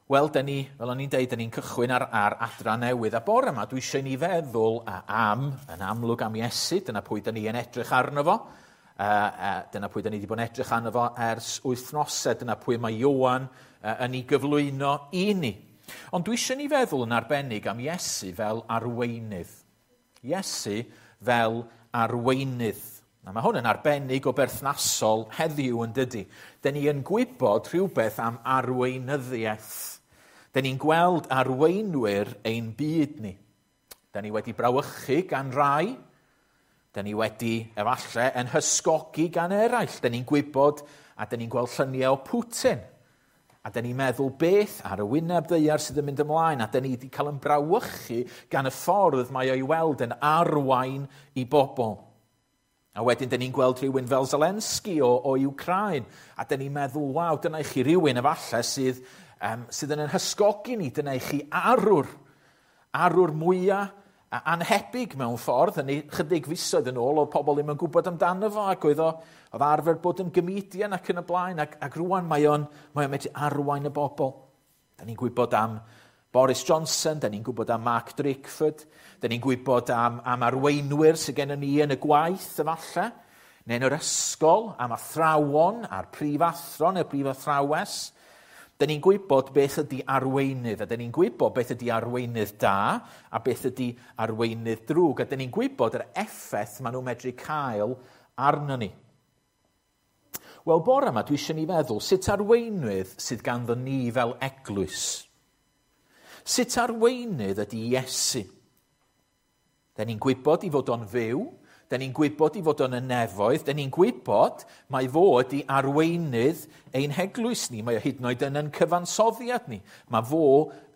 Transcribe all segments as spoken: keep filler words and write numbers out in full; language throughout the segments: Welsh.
Wel, dyn ni, fel o'n i'n deud, dyn ni'n cychwyn ar, ar adran newydd. A bore yma, dwi eisiau ni feddwl am, yn amlwg am Iesu, dyna pwy dyn ni yn edrych arno fo. Uh, uh, dyna pwy dyn ni wedi bod yn edrych arno fo ers wythnosau, dyna pwy mae Ioan uh, yn ei gyflwyno i ni. Ond dwi eisiau ni feddwl yn arbennig am Iesu fel arweinydd. Iesu fel arweinydd. Na, mae hwn yn arbennig o berthnasol heddiw yn dydy. Dyn ni yn gwybod rhywbeth am arweinyddiaeth. Dyn ni'n gweld arweinwyr ein byd ni. Dyn ni wedi brawychu gan rai. Dyn ni wedi, efallai, yn hysgogi gan eraill. Dyn ni'n gwybod a dyn ni'n gweld lluniau o Putin. A dyn ni'n meddwl beth ar y wyneb ddaear sydd yn mynd ymlaen. A dyn ni wedi cael yn brawychu gan y ffordd mae o'i weld yn arwain i bobl. A wedyn, dyn ni'n gweld rhywun fel Zelensky o, o Ukraine. A dyn ni'n meddwl, waw, dyna i chi rhywun efallai sydd, um, sydd yn hysgogi ni. Dyna i chi arwr. Arwr mwyaf anhebyg mewn ffordd. Yn chydig fisoedd yn ôl, oedd pobl ddim yn gwybod amdano fo, ac oedd o, oedd arfer bod yn gomedian ac yn y blaen. Ac, ac rwan mae o'n, mae o'n medru arwain y bobl. Dyn ni'n gwybod am Boris Johnson, dyn ni'n gwybod am Mark Drakeford, dyn ni'n gwybod am, am arweinwyr sydd gennym ni yn y gwaith efallai, neu yn yr ysgol, am athrawon, a'r prifathro neu'r prifathrawes. Dyn ni'n gwybod beth ydy arweinydd, a dyn ni'n gwybod beth ydy arweinydd da, a beth ydy arweinydd drwg, a dyn ni'n gwybod yr effaith maen nhw'n medru cael arno ni. Wel, bore yma dwi eisiau ni feddwl sut arweinydd sydd ganddo ni fel eglwys. Sut arweinydd ydy Iesu? Dyn ni'n gwybod i fod o'n fyw, dyn ni'n gwybod i fod o'n y nefoedd, dyn ni'n gwybod mai fo ydy arweinydd ein heglwys ni, mae o hyd yn oed yn ein cyfansoddiad ni. Mae fo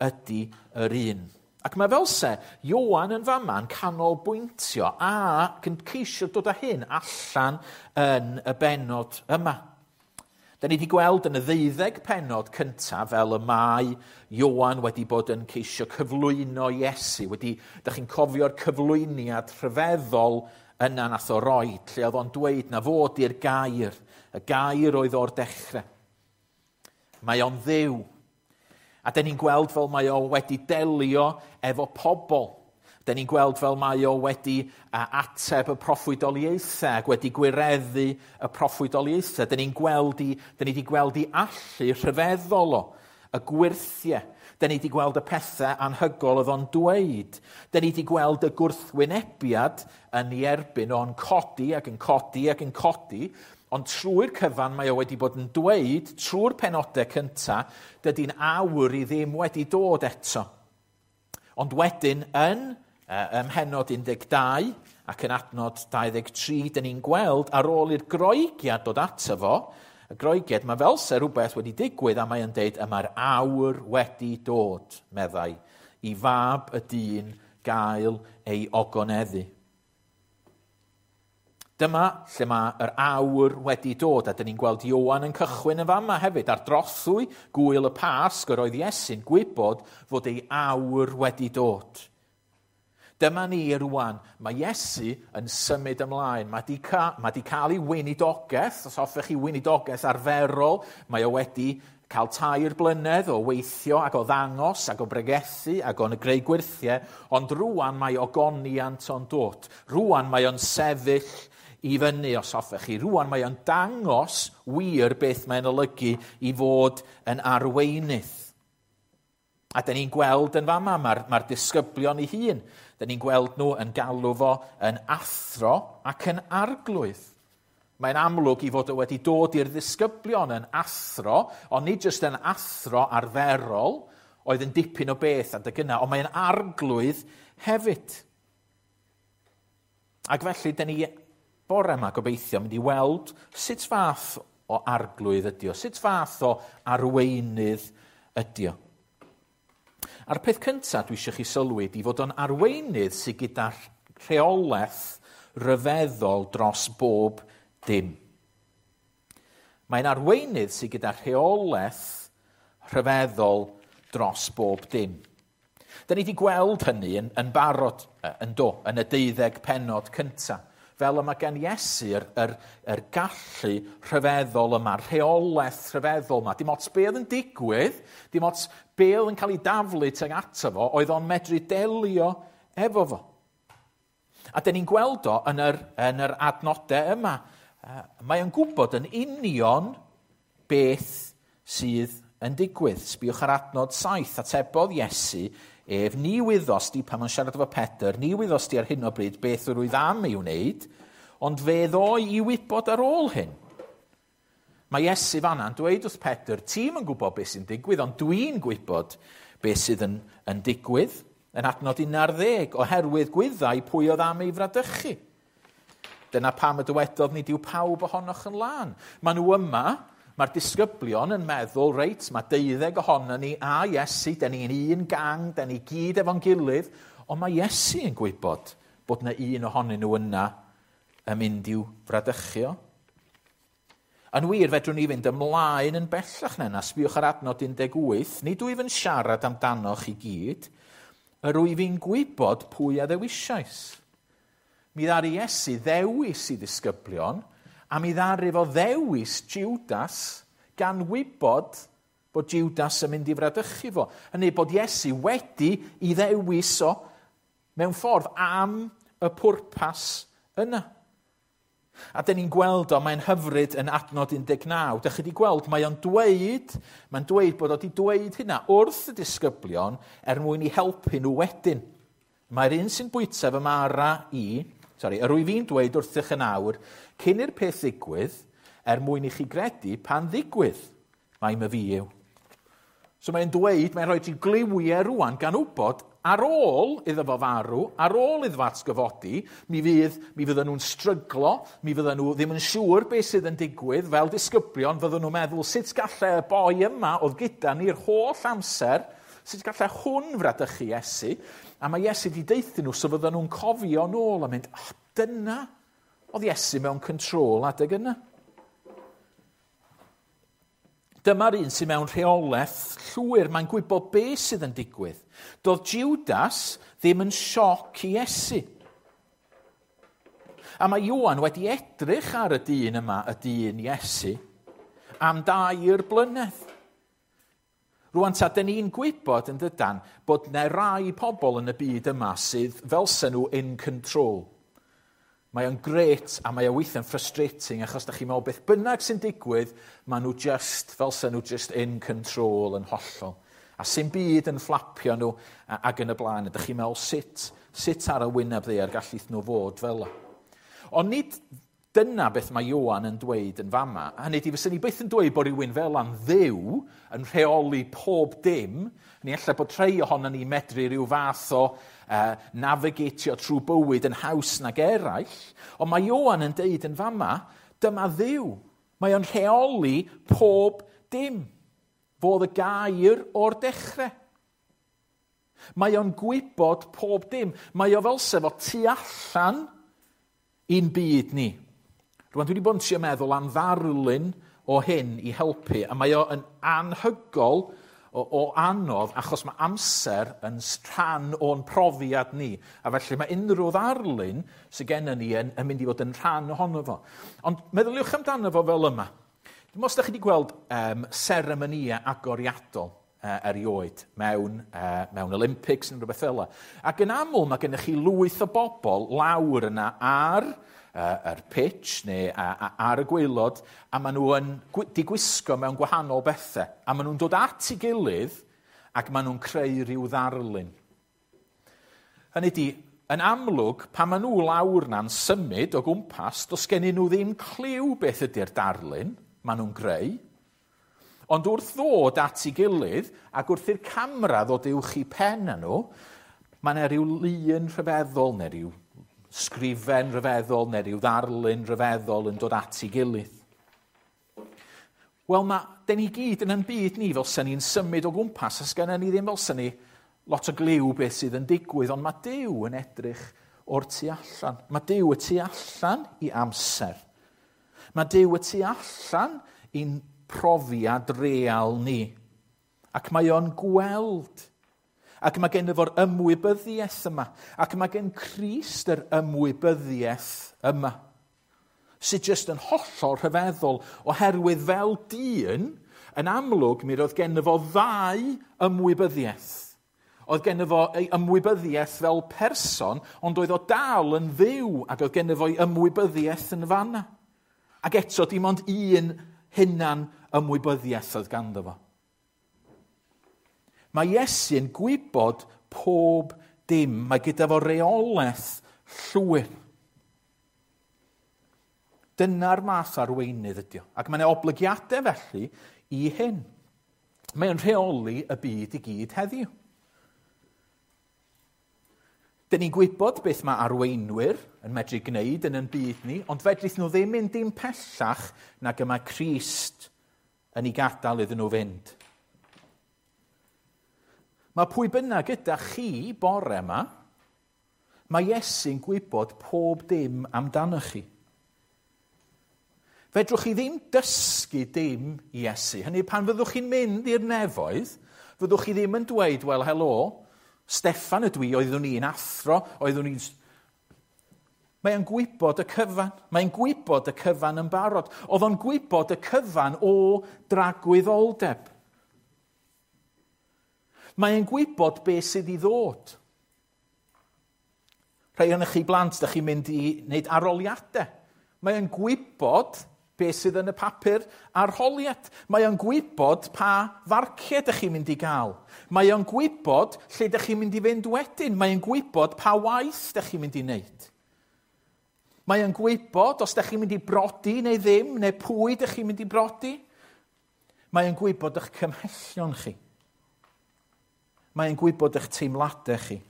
ydy yr un. Ac mae fel se, Ioan yn fama'n canolbwyntio ac yn ceisio dod â hyn allan yn y bennod yma. Da ni wedi gweld yn y ddeuddeg pennod cyntaf fel y mae Ioan wedi bod yn ceisio cyflwyno Iesu. Wedi, da chi'n cofio'r cyflwyniad rhyfeddol yna nath o roi, lle oedd o'n dweud na fod i'r gair. Y gair oedd o'r dechrau. Mae o'n Dduw. A da ni'n gweld fel mae o wedi delio efo pobl. Da ni'n gweld fel mae o wedi ateb y proffwydoliaethau ac wedi gwireddu y proffwydoliaethau. Da ni'n gweld i, da ni wedi gweld i allu rhyfeddol o, y gwyrthiau. Da ni wedi gweld y pethau anhygol oedd o'n dweud. Da ni wedi gweld y gwrthwynebiad yn ei erbyn o'n codi ac yn codi ac yn codi. Ond trwy'r cyfan mae o wedi bod yn dweud, trwy'r penodau cyntaf, dydy'n awr i ddim wedi dod eto. Ond wedyn yn ym mhennod un deg dau ac yn adnod dau ddeg tri, dyn ni'n gweld ar ôl i'r Groegiad dod ato fo, y Groegiad, mae fel se rhywbeth wedi digwydd a mae yn deud, y mae'r awr wedi dod, meddai, i fab y dyn gael ei ogoneddu. Dyma lle mae yr awr wedi dod, a dyn ni'n gweld Ioan yn cychwyn yn fama hefyd. Ar drothwy gwyl y Pasg, yr oedd Iesu'n gwybod fod ei awr wedi dod. Dyma ni rwan, mae Iesu yn symud ymlaen. Mae di, ca, mae di cael ei weinidogaeth, os hoffech chi weinidogaeth arferol, mae o wedi cael tair blynedd o weithio ac o ddangos ac o bregethu ac o'n greu gwyrthiau, ond rwan mae ogoniant o'n dod. Rwan mae o'n sefyll i fyny, os hoffech chi. Rwan mae o'n dangos wir beth mae'n olygu i fod yn arweinydd. A dyn ni'n gweld yn fama, mae'r mae disgyblion ei hun. Dyn ni'n gweld nhw yn galw fo yn athro ac yn arglwydd. Mae'n amlwg i fod o wedi dod i'r ddisgyblion yn athro, ond nid jyst yn athro arferol, oedd yn dipyn o beth adeg yna, ond mae'n arglwydd hefyd. Ac felly, dyn ni bore yma gobeithio mynd i weld sut fath o arglwydd ydi o, sut fath o arweinydd ydi o. A'r peth cyntaf dwi eisiau chi sylwi ydi fod o'n arweinydd sydd gyda rheolaeth ryfeddol dros bob dim. Mae'n arweinydd sydd gyda rheolaeth rhyfeddol dros bob dim. Da ni wedi gweld hynny yn, yn barod, yn do, yn y deuddeg pennod cyntaf. fel y mae gen Iesu yr, yr, yr gallu rhyfeddol yma, rheolaeth rhyfeddol yma. Dim ots be oedd yn digwydd, dim ots be oedd yn cael ei daflu tuag ato fo, oedd o'n medru delio efo fo. A dyn ni'n gweld o yn yr, yn yr adnodau yma. Mae o'n gwybod yn union beth sydd yn digwydd. Sbiwch ar adnod saith, atebodd Iesu ef, ni wyddost di, pan mae'n siarad efo Pedr, ni wyddost di ar hyn o bryd beth yr wyf am ei wneud, ond fe ddoi i wybod ar ôl hyn. Mae Iesu fanna'n dweud wrth Pedr, ti'm yn gwybod beth sy'n digwydd, ond dwi'n gwybod beth sydd yn, yn digwydd. Yn adnod un ar ddeg, oherwydd gwyddai pwy oedd am ei fradychu. Dyna pam y dywedodd, nid yw pawb ohonoch yn lân. Maen nhw yma, mae'r disgyblion yn meddwl, reit, mae deuddeg ohono ni a Iesu, den ni'n un gang, den ni gyd efo'n gilydd, ond mae Iesu yn gwybod bod yna un ohonyn nhw yna yn mynd i'w fradychu o. Yn wir, fedrwn ni fynd ymlaen yn bellach na yna, sbiwch ar adnod un deg wyth, nid wyf yn siarad amdanoch i gyd, yr wyf i'n gwybod pwy a ddewisiais. Mi ddaru Iesu ddewis i ddisgyblion, a mi ddaru fo ddewis Judas gan wybod bod Judas yn mynd i fradychu fo. Hynny bod Iesu wedi i ddewis o mewn ffordd am y pwrpas yna. A dyn ni'n gweld o, mae'n hyfryd yn adnod un deg naw. Dych chi wedi gweld, mae o'n dweud, mae'n dweud bod o wedi dweud hynna wrth y disgyblion er mwyn i helpu nhw wedyn. Mae'r un sy'n bwyta fy mara i, sorry, yr wyf i'n dweud wrthych yn awr, cyn i'r peth ddigwydd, er mwyn i chi gredu pan ddigwydd, mai myfi yw. So mae'n dweud, mae'n rhoi ti gliwiau rwan gan wybod ar ôl iddo fo farw, ar ôl iddo fo atgyfodi, mi fydd, mi fydden nhw'n stryglo, mi fydden nhw ddim yn siŵr beth sydd yn digwydd, fel disgyblion fydden nhw'n meddwl sut gallai y boi yma oedd gyda ni'r holl amser, sut gallai hwn fradychu Iesu, a mae Iesu wedi deuthyn nhw, so fydden nhw'n cofio nôl a mynd, oh, dyna oedd Iesu mewn control adeg yna. Dyma'r un sydd mewn rheolaeth llwyr, mae'n gwybod beth sydd yn digwydd. Doedd Judas ddim yn sioc i Iesu. A mae Ioan wedi edrych ar y dyn yma, y dyn Iesu, am dair blynedd. Rwan ta, dyn ni'n gwybod yn dydan bod yna rai pobl yn y byd yma sydd fel sen nhw in control. Mae o'n grêt a mae o weithiau'n frustrating achos da chi'n meddwl beth bynnag sy'n digwydd, maen nhw just, fel sen nhw just in control yn hollol. A sy'n byd yn fflapio nhw ac yn y blaen. Ydych chi'n meddwl sut, sut ar y wyneb ddaear gallith nhw fod fel yna. Ond nid dyna beth mae Ioan yn dweud yn fama. Hynny ydi, fyswn ni byth yn dweud bod rhywun fel a'n Dduw yn rheoli pob dim. Ni ella bod rhai ohono ni medru rhyw fath o uh, navigatio trwy bywyd yn haws nag eraill. Ond mae Ioan yn deud yn fama, dyma Dduw. Mae o'n rheoli pob dim. Fodd y gair o'r dechrau. Mae o'n gwybod pob dim. Mae o fel sef o tu allan i'n byd ni. Rwan, dwi wedi bod yn trio meddwl am ddarlun o hyn i helpu, a mae o yn anhygol o, o anodd achos mae amser yn rhan o'n profiad ni. A felly mae unrhyw ddarlun sydd gennym ni yn, yn mynd i fod yn rhan ohono fo. Ond meddyliwch amdano fo fel yma. Dim os ydych chi wedi gweld um, seremonïau agoriadol uh, erioed mewn, uh, mewn Olympics neu rhywbeth fel yna. Ac yn aml mae gennych chi lwyth o bobl lawr yna ar yr pitch neu ar y gwaelod, a maen nhw yn digwisgo mewn gwahanol bethau. A maen nhw'n dod at ei gilydd ac maen nhw'n creu rhyw ddarlun. Hynny ydi, yn amlwg, pan maen nhw lawr na'n symud o gwmpas, does gennyn nhw ddim cliw beth ydy'r darlun maen nhw'n greu. Ond wrth ddod at ei gilydd, ac wrth i'r camera ddod uwch i pen â nhw, mae yna rhyw lun rhyfeddol neu rhyw sgrifen rhyfeddol neu rhyw ddarlun rhyfeddol yn dod at ei gilydd. Wel, mae, den ni gyd yn ein byd ni fel sy'n ni'n symud o gwmpas, a sgynnon ni ddim fel sy'n ni lot o gliw beth sydd yn digwydd, ond mae Duw yn edrych o'r tu allan. Mae Duw y tu allan i amser. Mae Duw y tu allan i'n profiad real ni. Ac mae o'n gweld. Ac mae gen fo'r ymwybyddiaeth yma. Ac mae gen Crist yr ymwybyddiaeth yma. Sydd jyst yn hollol rhyfeddol, oherwydd fel dyn, yn amlwg mi roedd gen fo ddau ymwybyddiaeth. Oedd gen fo ei ymwybyddiaeth fel person, ond oedd o dal yn Dduw, ac oedd gen fo ei ymwybyddiaeth yn fanna. Ac eto dim ond un hunan ymwybyddiaeth oedd ganddo fo. Mae Iesu'n gwybod pob dim. Mae gyda fo reolaeth llwyr. Dyna'r math arweinydd ydi o. Ac mae yna oblygiadau felly i hyn. Mae'n rheoli y byd i gyd heddiw. Dyn ni'n gwybod beth mae arweinwyr yn medru gwneud yn ein byd ni, ond fedrith nhw ddim mynd dim pellach nag y mae Crist yn ei gadael iddyn nhw fynd. Mae pwy bynnag gyda chi bore yma, mae Iesu'n gwybod pob dim amdanoch chi. Fedrwch chi ddim dysgu dim i Iesu. Hynny, pan fyddwch chi'n mynd i'r nefoedd, fyddwch chi ddim yn dweud, wel, helo, Steffan ydw i, oeddwn i'n athro, oeddwn i'n... Mae'n gwybod y cyfan. Mae'n gwybod y cyfan yn barod. Oedd o'n gwybod y cyfan o dragwyddoldeb. Mae'n gwybod beth sydd i ddod. Rhai ohonoch chi blant, ydych chi'n mynd i wneud arholiadau. Mae'n gwybod beth sydd yn y papur arholiad. Mae o'n gwybod pa farciau ydych chi'n mynd i gael. Mae o'n gwybod lle ydych chi'n mynd i fynd wedyn. Mae o'n gwybod pa waith ydych chi'n mynd i wneud. Mae o'n gwybod os ydych chi'n mynd i brodi neu ddim, neu pwy ydych chi'n mynd i brodi. Mae o'n gwybod eich cymhellion chi. Mae o'n gwybod eich teimladau chi.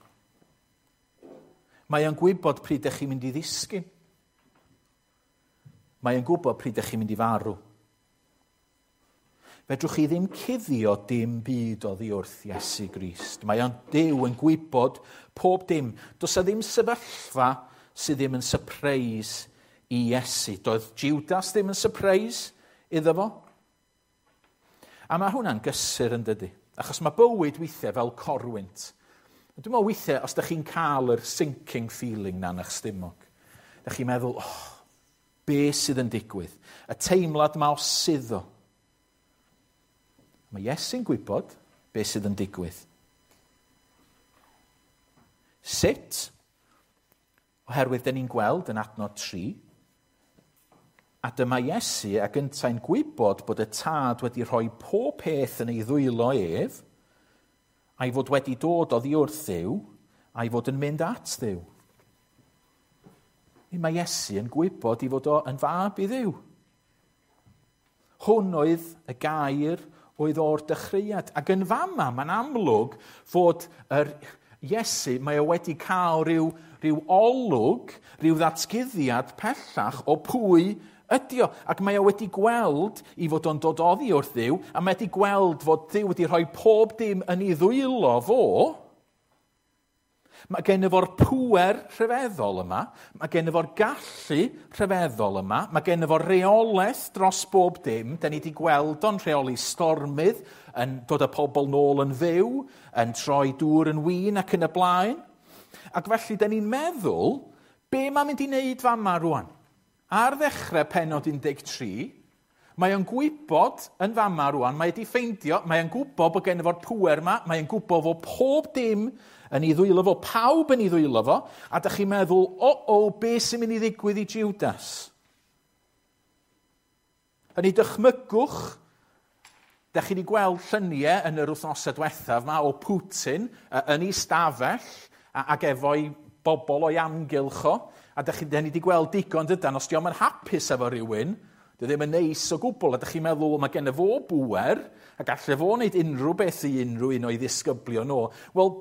Mae o'n gwybod pryd ydych chi'n mynd i ddisgyn. Mae o'n gwybod pryd ydych chi'n mynd i farw. Fedrwch chi ddim cuddio dim byd oddi wrth Iesu Grist. Mae o'n Duw yn gwybod pob dim. Does 'na ddim sefyllfa sydd ddim yn surprise i Iesu. Doedd Judas ddim yn surprise iddo fo. A mae hwnna'n gysur yn dydy. Achos mae bywyd weithiau fel corwynt. Dwi'n meddwl weithiau, os ydych chi'n cael yr sinking feeling na yn eich stumog, ydych chi'n meddwl, oh, be sydd yn digwydd? Y teimlad ma o suddo. Mae Iesu'n gwybod be sydd yn digwydd. Sut? Oherwydd dyn ni'n gweld yn adnod tri, a dyma Iesu ac yntau'n gwybod bod y Tad wedi rhoi pob peth yn ei ddwylo ef, a'i fod wedi dod oddi wrth Dduw, a'i fod yn mynd at Dduw. Mae Iesu yn gwybod i fod o yn fab i Dduw. Hwn oedd y gair oedd o'r dechreuad. Ac yn fama, mae'n amlwg fod yr Iesu, mae o wedi cael rhyw, rhyw olwg, rhyw ddatguddiad pellach o pwy ydi o. Ac mae o wedi gweld i fod o'n dod oddi wrth Dduw, a mae wedi gweld fod Duw wedi rhoi pob dim yn ei ddwylo fo. Mae gen fo'r pŵer rhyfeddol yma, mae gen fo'r gallu rhyfeddol yma, mae gen fo'r reolaeth dros bob dim. Da ni wedi gweld o'n rheoli stormydd, yn dod â pobl nôl yn fyw, yn troi dŵr yn win ac yn y blaen. Ac felly, da ni'n meddwl, be mae'n mynd i wneud fama rwan? Ar ddechrau pennod un deg tri, mae o'n gwybod yn fama rwan, mae wedi ffeindio, mae o'n gwybod bod gen fo'r pŵer yma, mae o'n gwybod fod pob dim yn ei ddwylo fo, pawb yn ei ddwylo fo, a da chi'n meddwl, o, o, be sy'n mynd i ddigwydd i Judas? Yn ei dychmygwch, da chi wedi gweld lluniau yn yr wythnosau diwethaf yma o Putin yn ei stafell ac efo'i bobl o'i amgylch o, a da chi da ni wedi gweld digon dydan, os dio'm yn hapus efo rhywun, dio ddim yn neis o gwbl, a da chi'n meddwl, mae gen fo bŵer, a gallai fo wneud unrhyw beth i unrhyw un o'i ddisgyblion o. Wel,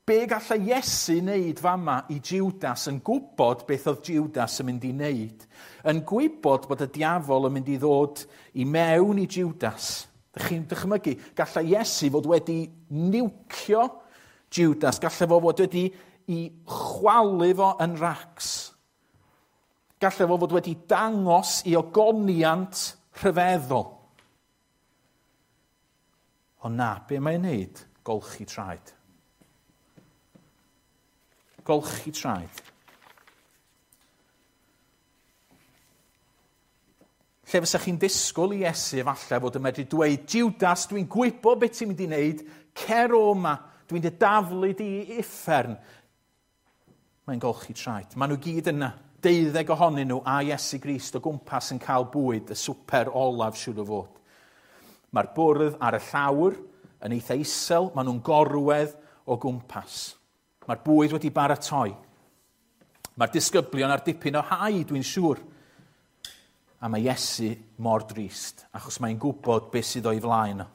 be gallai Iesu wneud fama i Judas yn gwybod beth oedd Judas yn mynd i wneud? Yn gwybod bod y diafol yn mynd i ddod i mewn i Judas. Dych chi'n dychmygu, gallai Iesu fod wedi niwcio Judas, gallai fo fod wedi i chwalu fo yn racs. Gallai fo fod wedi dangos i ogoniant rhyfeddol. Ond na, be mae'n wneud? Golchi traed. Golchi traed. Lle fysa chi'n disgwyl i Iesu efallai fod yn medru dweud, Judas, dwi'n gwybod beth ti'n mynd i wneud, cer o yma, dwi'n dy daflu di i uffern. Mae'n golchi traed. Maen nhw gyd yna, deuddeg ohonyn nhw a Iesu Grist o gwmpas yn cael bwyd, y swper olaf siŵr o fod. Mae'r bwrdd ar y llawr yn eitha isel, maen nhw'n gorwedd o gwmpas. Mae'r bwyd wedi baratoi. Mae'r disgyblion ar dipyn o hau, dwi'n siŵr. A mae Iesu mor drist, achos mae'n gwybod beth sydd o'i flaen o.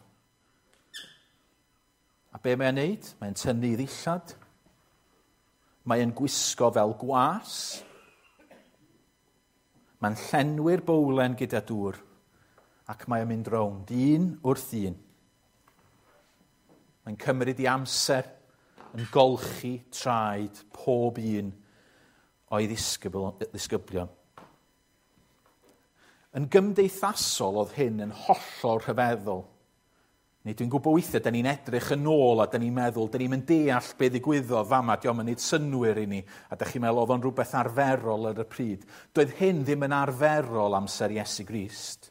A be mae'n neud? Mae'n tynnu ei ddillad. Mae'n gwisgo fel gwas. Mae'n llenwi'r bowlen gyda dŵr. Ac mae'n mynd rownd, un wrth un. Mae'n cymryd ei amser yn golchi traed pob un o'i ddisgyblion. Yn gymdeithasol oedd hyn yn hollol rhyfeddol. Neu dwi'n gwybod weithiau, da ni'n edrych yn ôl a da ni'n meddwl, da ni'n mynd deall be ddigwyddodd fama, dio'm yn neud synnwyr i ni, a da chi'n meddwl oedd o'n rhywbeth arferol ar y pryd. Doedd hyn ddim yn arferol amser Iesu Grist.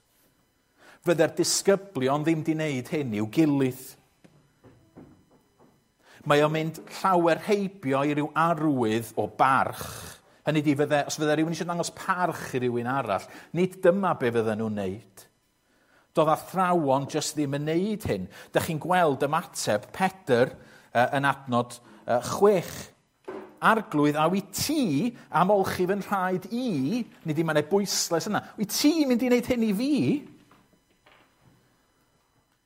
Fydde'r disgyblion ddim di wneud hyn i'w gilydd. Mae o'n mynd llawer heibio i ryw arwydd o barch. Hynny di, fydde, os fydde rhywun eisiau dangos parch i rywun arall, nid dyma be fydden nhw'n neud. Doedd athrawon jyst ddim yn neud hyn. Dych chi'n gweld ymateb Pedr uh, yn adnod uh, chwech. Arglwydd, a wyt ti am olchi fy nhraed i, nid i mae'n bwyslais yna, wyt ti'n mynd i wneud hyn i fi?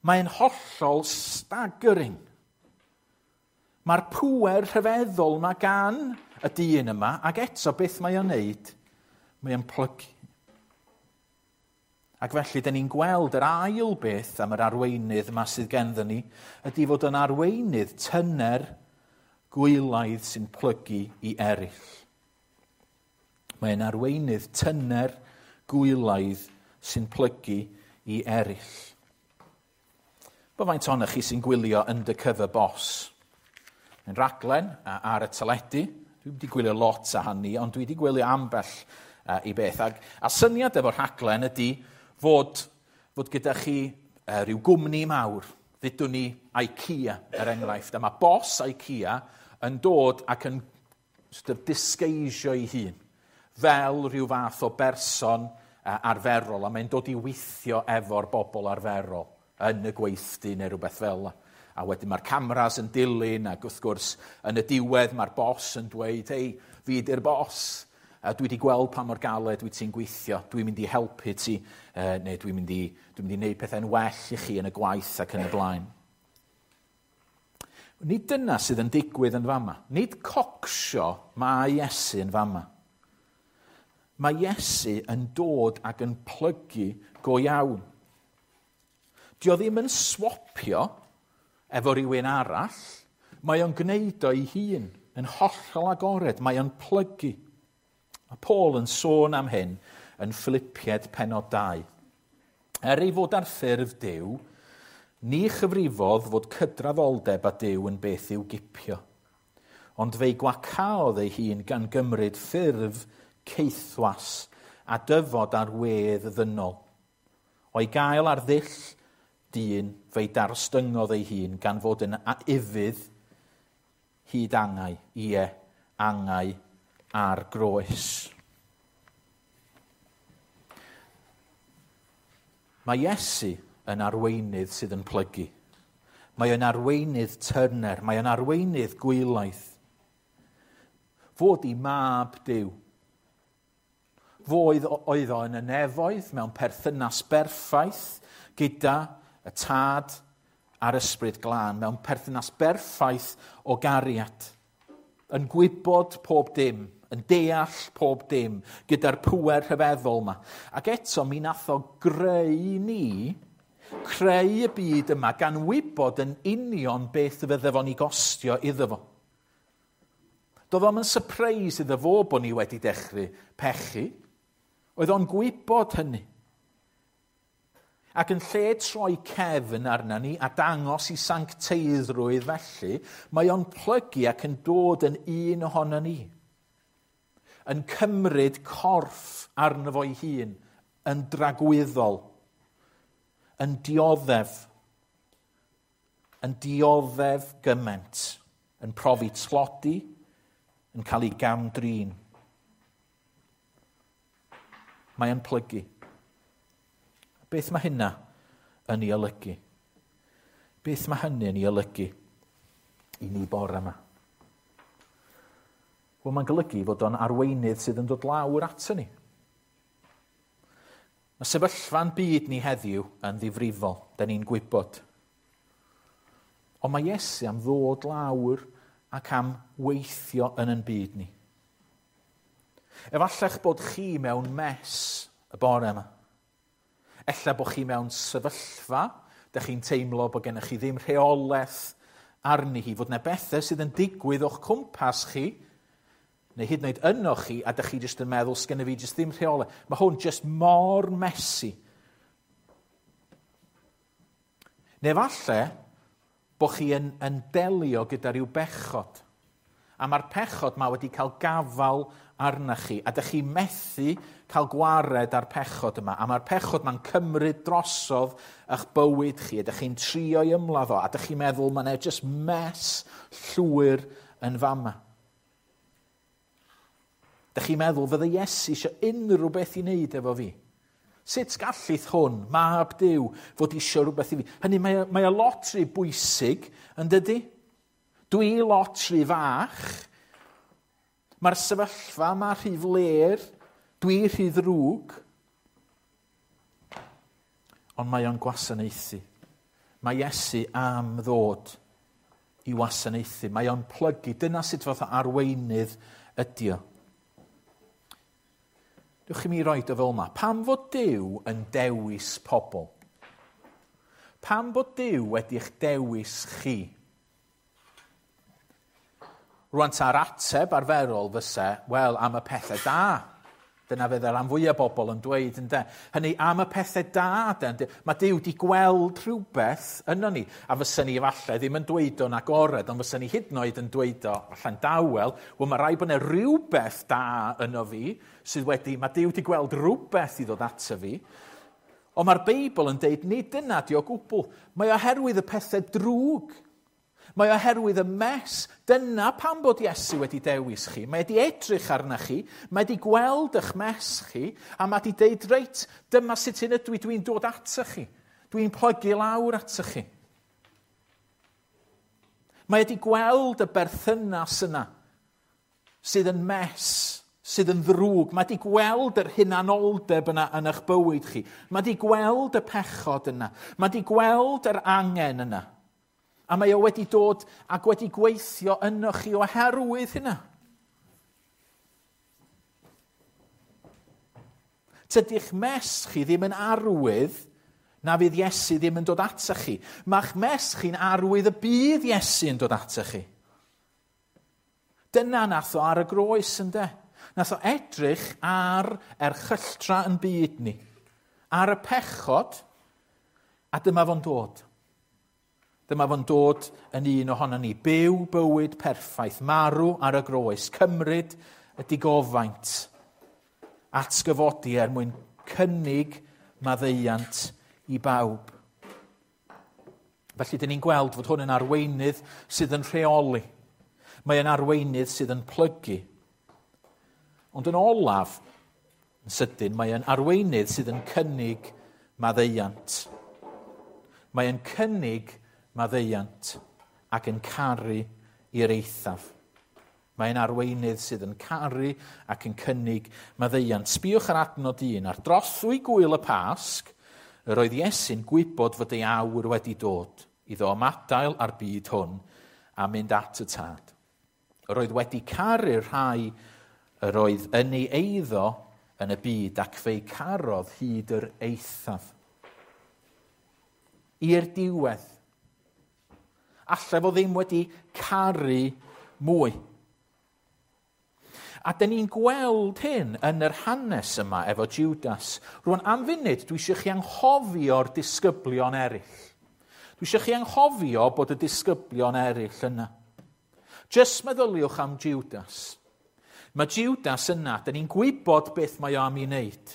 Mae'n hollol staggering. Mae'r pŵer rhyfeddol yma gan y dyn yma, ac eto beth mae o'n neud? Mae o'n plygu. Ac felly, dyn ni'n gweld yr ail beth am yr arweinydd yma sydd genddyn ni, ydy fod yn arweinydd tyner gwylaidd sy'n plygu i eraill. Mae'n arweinydd tyner gwylaidd sy'n plygu i eraill. Bo faint ohonoch chi sy'n gwylio Undercover Boss? Mae'n raglen ar y teledu. Dwi wedi gwylio lot a hynny, ond dwi wedi gwylio ambell uh, i beth. Ag, a syniad efo'r rhaglen ydy fod, fod gyda chi uh, rhyw gwmni mawr. Ddudwn ni IKEA, er enghraifft. A mae boss IKEA yn dod ac yn sort of disguisio ei hun fel rhyw fath o berson uh, arferol. A mae'n dod i weithio efo'r bobl arferol yn y gweithdy neu rhywbeth fel yna. A wedyn mae'r cameras yn dilyn, ac wrth gwrs yn y diwedd mae'r boss yn dweud, hei, fi di'r boss, a dwi wedi gweld pa mor galed wyt ti'n gweithio, dwi'n mynd i helpu ti, neu dwi'n mynd i, dwi'n mynd i wneud pethau'n well i chi yn y gwaith ac yn y blaen. Nid dyna sydd yn digwydd yn fama. Nid cocsio mae Iesu yn fama. Mae Iesu yn dod ac yn plygu go iawn. Dio ddim yn swapio efo rhywun arall, mae o'n gwneud o'i hun yn hollol agored, mae o'n plygu. Mae Paul yn sôn am hyn yn Philippiaid pennod dau. Er ei fod ar ffurf Duw, ni chyfrifodd fod cydraddoldeb â Duw yn beth i'w gipio. Ond fe'i gwacaodd ei hun gan gymryd ffurf caethwas a dyfod ar wedd ddynol. O'i gael ar ddull dyn, fe'i darostyngodd ei hun gan fod yn ufudd hyd angau, ie, angau ar groes. Mae Iesu yn arweinydd sydd yn plygu. Mae o'n arweinydd tyner, mae o'n arweinydd gwylaidd. Fod i mab Duw. Fo oedd, oedd o yn y nefoedd mewn perthynas berffaith gyda y tad a'r ysbryd glân, mewn perthynas berffaith o gariad. Yn gwybod pob dim, yn deall pob dim, gyda'r pŵer rhyfeddol yma. Ac eto mi nath o greu ni, creu y byd yma, gan wybod yn union beth fydde fo'n ei gostio iddo fo. Doedd o'm yn surprise iddo fo bod ni wedi dechrau pechu. Oedd o'n gwybod hynny. Ac yn lle troi cefn arna ni a dangos i sancteiddrwydd felly, mae o'n plygu ac yn dod yn un ohono ni. Yn cymryd corff arno fo'i hun, yn dragwyddol, yn dioddef, yn dioddef gymaint, yn profi tlodi, yn cael ei gamdrin. Mae o'n plygu. Beth mae hynna yn ei olygu? Beth mae hynny yn ei olygu i ni bore yma? Wel, mae'n golygu fod o'n arweinydd sydd yn dod lawr ato ni. Mae sefyllfa'n byd ni heddiw yn ddifrifol, da ni'n gwybod. Ond mae Iesu am ddod lawr ac am weithio yn yn byd ni. Efalla'ch bod chi mewn mess y bore yma. Ella bod chi mewn sefyllfa, da chi'n teimlo bod gennych chi ddim rheolaeth arni hi, fod yna bethau sydd yn digwydd o'ch cwmpas chi, neu hyd yn oed yno chi, a da chi jyst yn meddwl, sgenna fi jyst ddim rheolaeth. Mae hwn jyst mor messy. Neu falle bod chi yn, yn delio gyda rhyw bechod. A mae'r pechod ma wedi cael gafal arna chi, a dych chi methu cael gwared ar pechod yma. A mae'r pechod ma'n cymryd drosodd eich bywyd chi, a dych chi'n trio i ymladd o, a dych chi'n meddwl mae'n e just mess llwyr yn fama. Dych chi'n meddwl fydde Iesu eisiau unrhyw beth i wneud efo fi? Sut gallith hwn, mab Duw, fod eisiau rhywbeth i fi? Hynny, mae, mae o lot rhy bwysig, yn dydy? Dwi lot rhy fach. Mae'r sefyllfa yma rhy fler. Dwi rhy ddrwg. Ond mae o'n gwasanaethu. Mae Iesu am ddod i wasanaethu. Mae o'n plygu. Dyna sut fath o arweinydd ydi o. Dewch i mi roed o fel yma. Pam fod Duw yn dewis pobl? Pam bod Duw wedi'ch dewis chi? Rwan ta'r ateb arferol fysa, wel, am y pethau da. Dyna fydd y rhan fwyaf bobl yn dweud, ynde. Hynny, am y pethau da, de. Mae Duw wedi gweld rhywbeth yno ni. A fysa ni efallai ddim yn dweud o'n agored, ond fysa ni hyd yn oed yn dweud o allan dawel, wel, mae rhaid bod yna rhywbeth da yno fi, sydd wedi, mae Duw wedi gweld rhywbeth i ddod ato fi. Ond mae'r Beibl yn deud, nid dyna di o gwbl. Mae oherwydd y pethau drwg. Mae oherwydd y mess. Dyna pam bod Iesu wedi dewis chi. Mae wedi edrych arna chi, mae wedi gweld eich mess chi, a mae wedi deud, reit, dyma sut hyn ydw i, dwi'n dod ato chi. Dwi'n plygu lawr ato chi. Mae wedi gweld y berthynas yna sydd yn mess, sydd yn ddrwg. Mae wedi gweld yr hunanoldeb yna yn eich bywyd chi. Mae wedi gweld y pechod yna. Mae wedi gweld yr angen yna. A mae o wedi dod ac wedi gweithio yno chi oherwydd hynna. Tydi'ch mess chi ddim yn arwydd na fydd Iesu ddim yn dod ato chi. Mae'ch mess chi'n arwydd y bydd Iesu yn dod ato chi. Dyna nath o ar y groes, ynde? Nath o edrych ar erchylltra yn byd ni, ar y pechod, a dyma fo'n dod. Dyma fo'n dod yn un ohono ni. Byw bywyd perffaith, marw ar y groes, cymryd y digofaint, atgyfodi er mwyn cynnig maddeuant i bawb. Felly, dyn ni'n gweld fod hwn yn arweinydd sydd yn rheoli. Mae yn arweinydd sydd yn plygu. Ond yn olaf, yn sydyn, mae yn arweinydd sydd yn cynnig maddeuant. Mae yn cynnig maddeuant ac yn caru i'r eithaf. Mae'n arweinydd sydd yn caru ac yn cynnig maddeuant. Sbïwch ar adnod un. Ar drothwy gwyl y Pasg, yr oedd Iesu'n gwybod fod ei awr wedi dod iddo ymadael â'r byd hwn a mynd at y Tad. Yr oedd wedi caru'r rhai yr oedd yn ei eiddo yn y byd ac fe'i carodd hyd yr eithaf. I'r diwedd. Alla fo ddim wedi caru mwy. A dyn ni'n gweld hyn yn yr hanes yma efo Judas. Rwan, am funud, dwi eisiau chi anghofio'r disgyblion eraill. Dwi eisiau chi anghofio bod y disgyblion eraill yna. Just meddyliwch am Judas. Mae Judas yna, dyn ni'n gwybod beth mae o am ei wneud.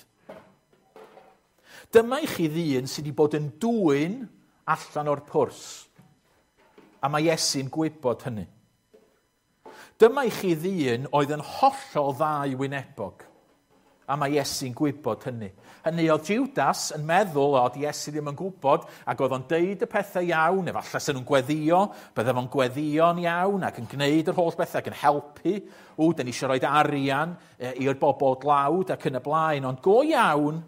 Dyma i chi ddyn sydd wedi bod yn dwyn allan o'r pwrs. A mae Iesu'n gwybod hynny. Dyma i chi ddyn oedd yn hollol ddau wynebog. A mae Iesu'n gwybod hynny. Hynny oedd Judas yn meddwl oedd Iesu ddim yn gwybod, ac oedd o'n deud y pethau iawn, efallai sy'n nhw'n gweddio, bydde fo'n gweddio'n iawn ac yn gwneud yr holl bethau ac yn helpu. Ww, dyn ni eisiau rhoi arian i'r bobl dlawd ac yn y blaen, ond go iawn,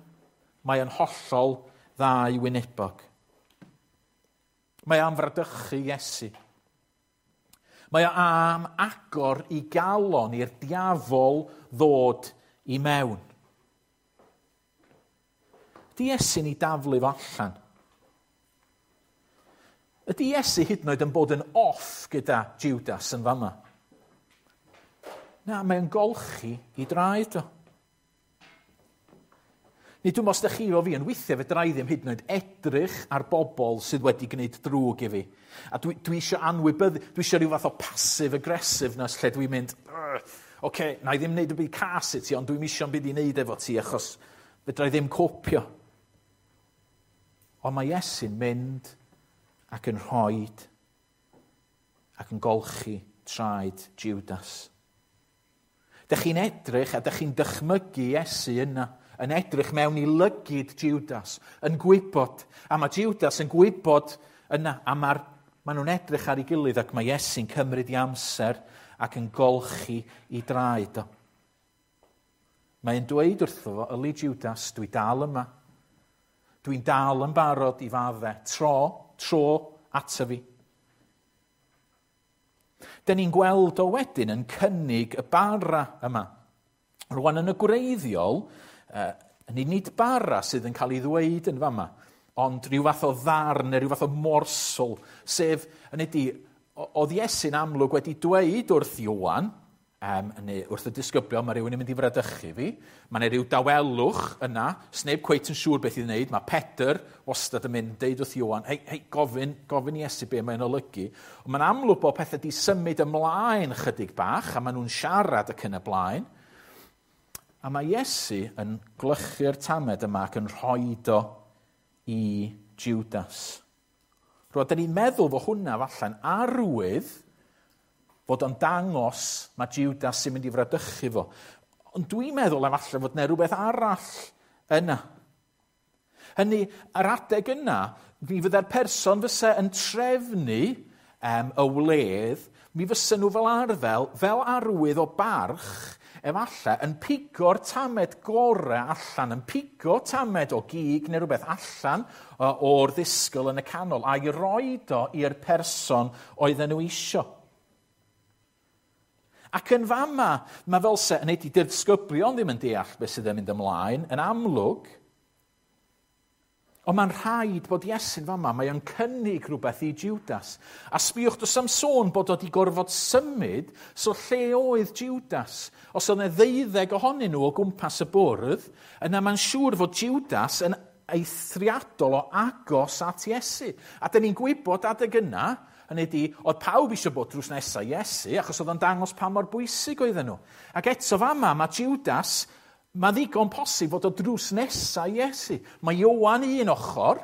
mae o'n hollol ddau wynebog. Mae am fradychu Iesu. Mae o am agor i galon i'r diafol ddod i mewn. Ydy Iesu'n ei daflu fo allan? Ydy Iesu hyd yn oed yn bod yn off gyda Judas yn fama? Na, mae'n golchi i draed o. Nid dwi'n os ydych chi efo fi, yn weithiau fedra i ddim hyd yn oed edrych ar bobl sydd wedi gwneud drwg i fi. A dwi, dwi eisiau anwybyddu, dwi eisiau rhyw fath o passive aggressiveness lle dwi'n mynd, oce, okay, na i ddim wneud y byd cas i ti, ond dwi'n eisiau byd i wneud efo ti achos fedra i ddim copio. Ond mae Iesu'n mynd ac yn rhoi ac yn golchi traed Judas. Dych chi'n edrych a dych chi'n dychmygu Iesu yna, yn edrych mewn i lygid Judas, yn gwybod. A mae Judas yn gwybod yna, a mae'r, maen nhw'n edrych ar ei gilydd ac mae Iesu'n cymryd i amser ac yn golchi i draed o. Mae'n dweud wrtho fo, yli Judas, dwi dal yma. Dwi'n dal yn barod i fadde. Tro, tro ato fi. Dyn ni'n gweld o wedyn yn cynnig y bara yma. Rwan yn y gwreiddiol, uh, nid bara sydd yn cael ei ddweud yn fama, ond rhyw fath o ddarn neu rhyw fath o morsel, sef, yn ydi, oedd Iesu'n amlwg wedi dweud wrth Ioan, um, neu wrth y disgyblion, mae rhywun yn mynd i fradychu fi, mae yna rhyw dawelwch yna, sneb cweit yn siŵr beth i wneud, mae Pedr wastad yn mynd deud wrth Ioan, hei, hei, gofyn, gofyn i Iesu be mae'n olygu. Ond mae'n amlwg bod pethau di symud ymlaen chydig bach, a maen nhw'n siarad ac yn y blaen. A mae Iesu yn glychu'r tamed yma ac yn rhoid o i Judas. Rwan, da ni'n meddwl fod hwnna falle'n arwydd fod o'n dangos mae Judas sy'n mynd i fradychu fo. Ond dwi'n meddwl efallai fod yna rhywbeth arall yna. Hynny, ar adeg yna, mi fydde'r person fysa yn trefnu um, y wledd, mi fysa nhw fel arfer, fel arwydd o barch, efallai, yn pigo'r tamed gorau allan, yn pigo tamed o gig neu rhywbeth allan o'r ddisgwyl yn y canol, a'i roed o i'r person oedden nhw isio. Ac yn fama, mae fel se, yn ei disgyblion ddim yn deall beth sydd yn mynd ymlaen, yn amlwg, ond mae'n rhaid bod Iesu'n fama, mae o'n cynnig rhywbeth i Judas. A sbiwch, does am sôn bod o wedi gorfod symud, so lle oedd Judas? Os oedd yna ddeuddeg ohonyn nhw o gwmpas y bwrdd, yna mae'n siŵr fod Judas yn eithriadol o agos at Iesu. A dyn ni'n gwybod adeg yna, hynny ydi, oedd pawb eisiau bod drws nesaf Iesu, achos oedd o'n dangos pa mor bwysig oedden nhw. Ac eto fama, mae Judas, mae ddigon posib fod o drws nesaf Iesu. Mae Ioan un ochr,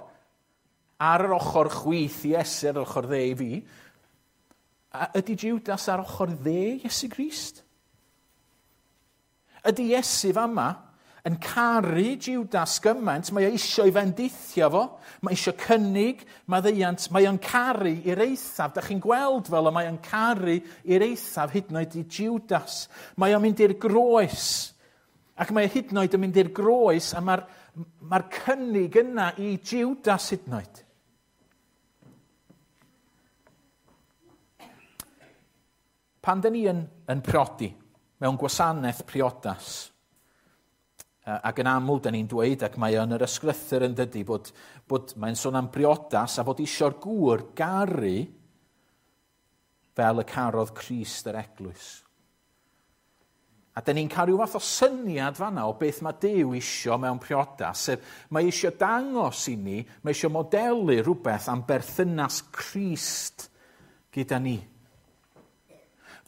ar yr ochr chwith Iesu, ar yr ochr dde i fi. A ydy Judas ar ochr dde Iesu Grist? Ydy Iesu fama yn caru Judas gymaint, mae o eisiau ei fendithio fo, mae eisiau cynnig maddeuant, mae o'n caru i'r eithaf. Da chi'n gweld fel y mae o'n caru i'r eithaf hyd yn oed i Judas. Mae o'n mynd i'r groes, ac mae o hyd yn oed yn mynd i'r groes, a mae'r mae'r cynnig yna i Judas hyd yn oed. Pan dyn ni yn, yn priodi, mewn gwasanaeth priodas, ac yn aml, da ni'n dweud, ac mae yn yr ysgrythur yn dydy, bod, bod mae'n sôn am briodas a bod isio'r gŵr garu fel y carodd Crist yr eglwys. A da ni'n cael rhyw fath o syniad fanna o beth mae Duw isio mewn priodas, sef mae isio dangos i ni, mae isio modelu rhywbeth am berthynas Crist gyda ni.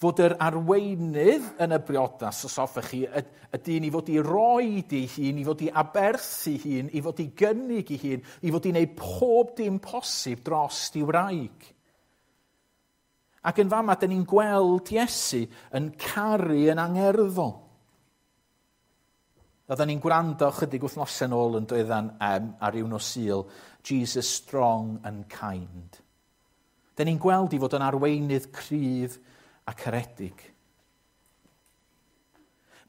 Fod yr arweinydd yn y briodas, os hoffech chi, y, y dyn i fod i roed ei hun, i fod i aberthu hun, i fod i gynnig ei hun, i fod i wneud pob dim posib dros ei wraig. Ac yn fama, dyn ni'n gweld Iesu yn caru yn angerddol. Oedden ni'n gwrando chydig wythnosau nôl yn doeddan um, ar ryw nos Sul, Jesus strong and kind. Dyn ni'n gweld i fod yn arweinydd cryf a caredig.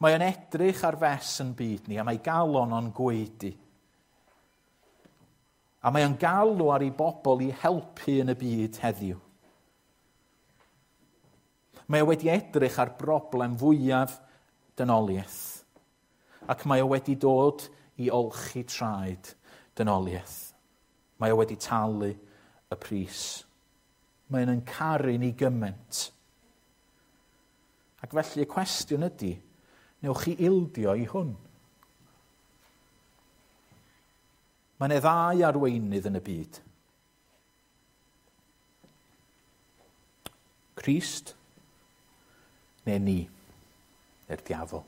Mae o'n edrych ar fes yn byd ni, a mae galon o'n gwaedu. A mae o'n galw ar ei bobl i helpu yn y byd heddiw. Mae o wedi edrych ar broblem fwyaf dynoliaeth. Ac mae o wedi dod i olchi traed dynoliaeth. Mae o wedi talu y pris. Mae o'n caru ni gymaint. Ac felly y cwestiwn ydy, newch chi ildio i hwn? Mae yna ddau arweinydd yn y byd. Crist neu ni, neu'r diafol.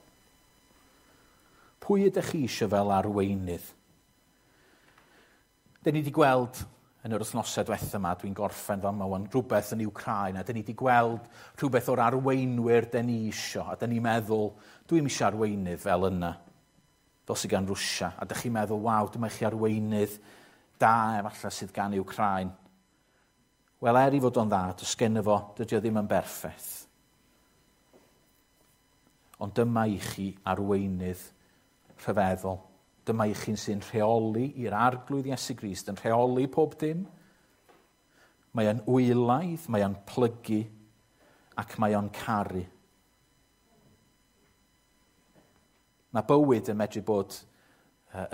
Pwy ydych chi eisiau fel arweinydd? Dyn ni wedi gweld yn yr wythnosau diwetha yma, dwi'n gorffen fel yma, rhywbeth yn Wcráin, a dyn ni wedi gweld rhywbeth o'r arweinwyr dyn ni isio, a dyn ni'n meddwl, dwi'n eisiau arweinydd fel yna, fel sydd gan Rwsia, a dych chi'n meddwl, waw, dyma chi arweinydd da efallai sydd gan Wcráin. Wel, er i fod o'n dda, does genno fo, dydy o ddim yn berffaith. Ond dyma i chi arweinydd rhyfeddol. Dyma i chi'n sy'n rheoli i'r Arglwydd Iesu Grist, yn rheoli pob dim. Mae o'n wylaidd, mae o'n plygu, ac mae o'n caru. Mae bywyd yn medru bod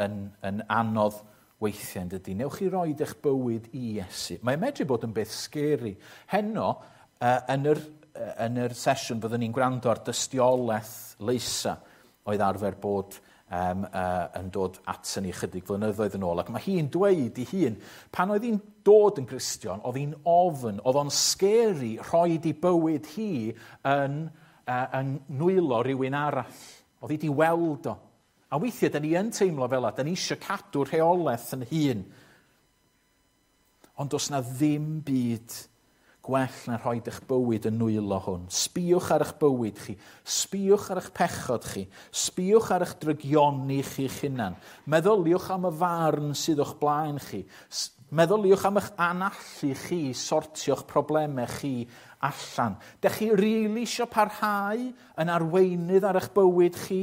yn, yn anodd weithiau, yn dydy. Newch chi roed eich bywyd i Iesu. Mae'n medru bod yn beth scary. Heno, yn yr, yn yr sesiwn, fyddwn ni'n gwrando ar dystiolaeth Leisa oedd arfer bod um, uh, yn dod at ni chydig flynyddoedd yn ôl. Ac mae hi'n dweud i hun, pan oedd hi'n dod yn Gristion, oedd hi'n ofn, oedd o'n scary rhoi di bywyd hi yn, uh, yn nwylo rhywun arall. Oedd hi di weld o. A weithiau, da ni yn teimlo fel 'na, da ni eisiau cadw rheolaeth yn hun. Ond does na ddim byd gwell na rhoi eich bywyd yn nwylo hwn. Sbïwch ar eich bywyd chi, sbïwch ar eich pechod chi, sbïwch ar eich drygioni chi'ch hunan. Meddyliwch am y farn sydd o'ch blaen chi. Meddyliwch am eich anallu chi, sortio'ch problemau chi allan. Dych chi rili isio parhau yn arweinydd ar eich bywyd chi?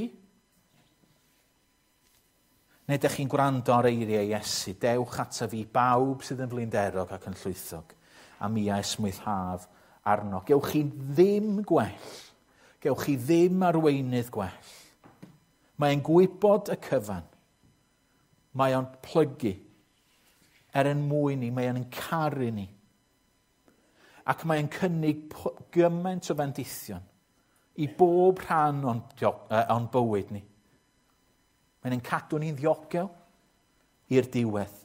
Neu dych chi'n gwrando ar eiriau Iesu, dewch ata fi bawb sydd yn flinderog ac yn llwythog, a mi a esmwythaf arno. Gewch chi ddim gwell. Gewch chi ddim arweinydd gwell. Mae'n gwybod y cyfan. Mae o'n plygu. Er yn mwyn ni, mae o'n caru ni. Ac mae'n cynnig gymaint o fendithion i bob rhan o'n, o'n bywyd ni. Mae'n cadw ni'n ddiogel i'r diwedd.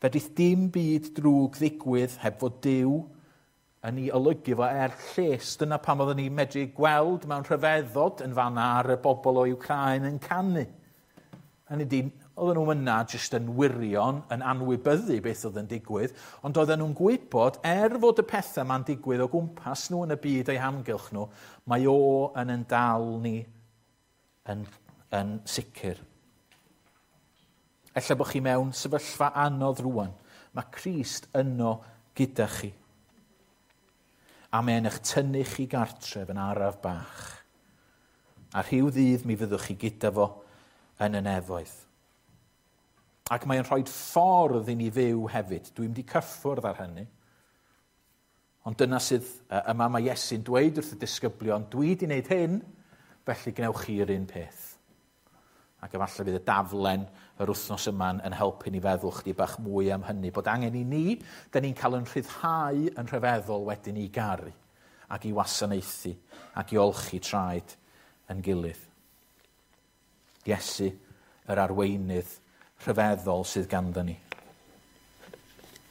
Fedrith dim byd drwg ddigwydd heb fod Duw yn ei olygu fo er lles. Dyna pam oedden ni'n medru gweld mewn rhyfeddod yn fanna ar y bobl o Wcráin yn canu. Hynny ydi, oedden nhw'n yna jyst yn wirion, yn anwybyddu beth oedd yn digwydd, ond oedden nhw'n gwybod, er fod y pethau ma'n digwydd o gwmpas nhw yn y byd eu hamgylch nhw, mae o yn yn dal ni yn, yn sicr. Ella bod chi mewn sefyllfa anodd rwan. Mae Crist yno gyda chi. A mae'n eich tynnu chi gartref yn araf bach. A rhyw ddydd mi fyddwch chi gyda fo yn y nefoedd. Ac mae'n rhoi ffordd i ni fyw hefyd. Dwi'n mynd i cyffwrdd ar hynny. Ond dyna sydd yma mae Iesu'n dweud wrth y disgyblion, dwi wedi wneud hyn, felly gwnewch chi'r un peth. Ac efallai fydd y daflen yr wythnos yma yn helpu ni feddwl chdi bach mwy am hynny. Bod angen i ni, da ni'n cael yn rhyddhau yn rhyfeddol wedyn i garu. ac i wasanaethu ac i olchi traed yn gilydd. Iesu, yr arweinydd rhyfeddol sydd ganddo ni.